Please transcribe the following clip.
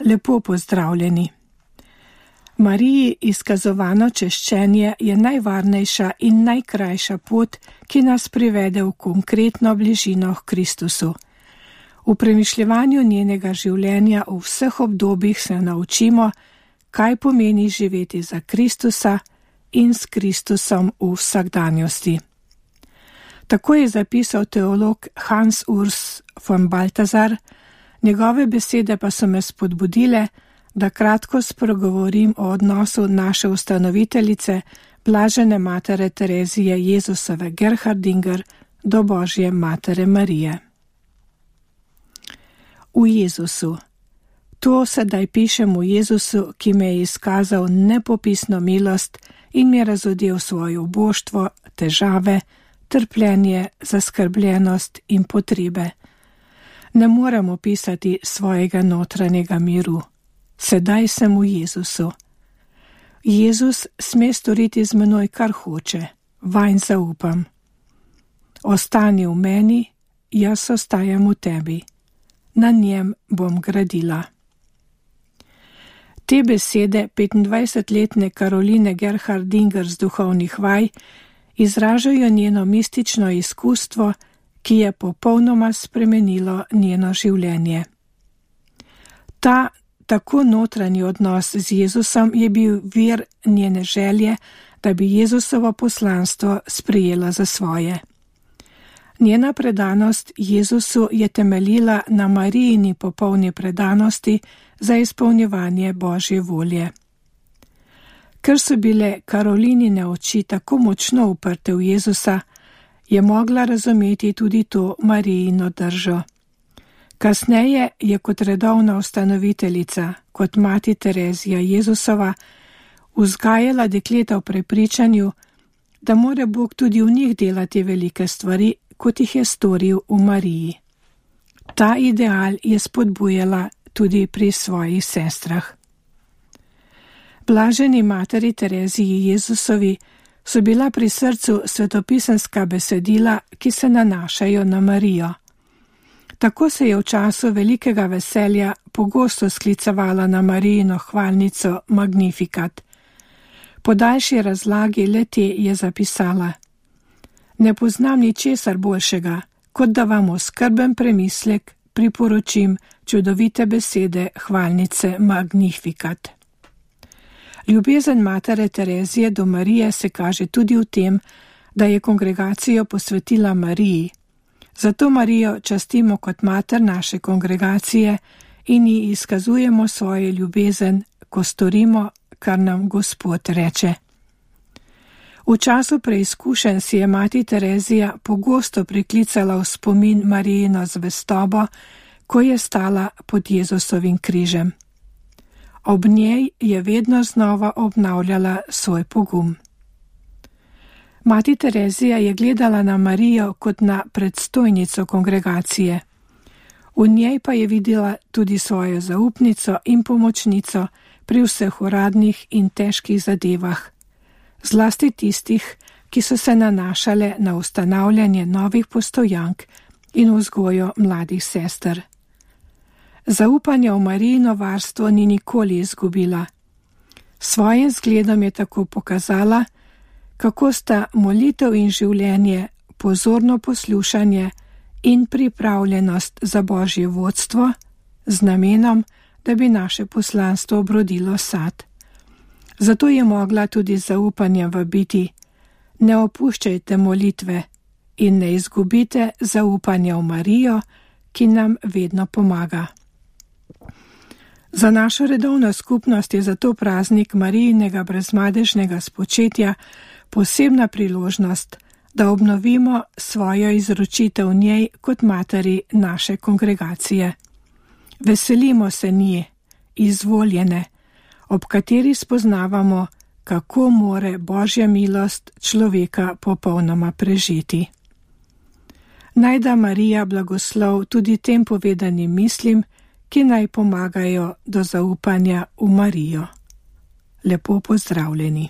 Lepo pozdravljeni. Mariji izkazovano češčenje je najvarnejša in najkrajša pot, ki nas privede v konkretno bližino k Kristusu. V premišljevanju njenega življenja v vseh obdobjih se naučimo, kaj pomeni živeti za Kristusa in s Kristusom v vsakdanjosti. Tako je zapisal teolog Hans Urs von Balthasar, njegove besede pa so me spodbudile, da kratko spregovorim o odnosu naše ustanoviteljice, blažene matere Terezije Jezusove Gerhardinger, do Božje matere Marije. V Jezusu. To sedaj pišem v Jezusu, ki me je izkazal nepopisno milost in mi je razodel svoje uboštvo, težave, trpljenje, zaskrbljenost in potrebe. Ne morem opisati svojega notranjega miru. Sedaj sem v Jezusu. Jezus sme storiti z menoj, kar hoče, vanj zaupam. Ostani v meni, jaz ostajam v tebi. Na njem bom gradila. Te besede 25-letne Karoline Gerhardinger z duhovnih vaj izražajo njeno mistično izkustvo, ki je popolnoma spremenilo njeno življenje. Ta tako notranji odnos z Jezusom je bil vir njene želje, da bi Jezusovo poslanstvo sprejela za svoje. Njena predanost Jezusu je temeljila na Marijini popolni predanosti za izpolnjevanje Božje volje. Ker so bile Karolinine oči tako močno uprte v Jezusa, je mogla razumeti tudi to Marijino držo. Kasneje je kot redovna ustanoviteljica, kot mati Terezija Jezusova, vzgajala dekleta v prepričanju, da mora Bog tudi v njih delati velike stvari, kot jih je storil v Mariji. Ta ideal je spodbujala tudi pri svojih sestrah. Blaženi materi Tereziji Jezusovi so bila pri srcu svetopisemska besedila, ki se nanašajo na Marijo. Tako se je v času velikega veselja pogosto sklicevala na Marijino hvalnico Magnificat. Po daljši razlagi le-te je zapisala: Ne poznam ničesar boljšega, kot da vam v skrben premislek priporočim čudovite besede hvalnice Magnificat. Ljubezen matere Terezije do Marije se kaže tudi v tem, da je kongregacijo posvetila Mariji. Zato Marijo častimo kot mater naše kongregacije in ji izkazujemo svojo ljubezen, ko storimo, kar nam Gospod reče. V času preizkušenj si je mati Terezija pogosto priklicala v spomin Marijino zvestobo, ko je stala pod Jezusovim križem. Ob njej je vedno znova obnavljala svoj pogum. Mati Terezija je gledala na Marijo kot na predstojnico kongregacije. V njej pa je videla tudi svojo zaupnico in pomočnico pri vseh uradnih in težkih zadevah, zlasti tistih, ki so se nanašale na ustanavljanje novih postojank in vzgojo mladih sester. Zaupanje v Marijino varstvo ni nikoli izgubila. Svojim zgledom je tako pokazala, kako sta molitev in življenje, pozorno poslušanje in pripravljenost za Božje vodstvo z namenom, da bi naše poslanstvo obrodilo sad. Zato je mogla tudi z zaupanjem vabiti: ne opuščajte molitve in ne izgubite zaupanja v Marijo, ki nam vedno pomaga. Za našo redovno skupnost je zato praznik Marijinega brezmadežnega spočetja posebna priložnost, da obnovimo svojo izročitev njej kot materi naše kongregacije. Veselimo se nje, izvoljene, ob kateri spoznavamo, kako more Božja milost človeka popolnoma prežeti. Naj da Marija blagoslov tudi tem povedanim mislim, ki naj pomagajo do zaupanja v Marijo. Lepo pozdravljeni.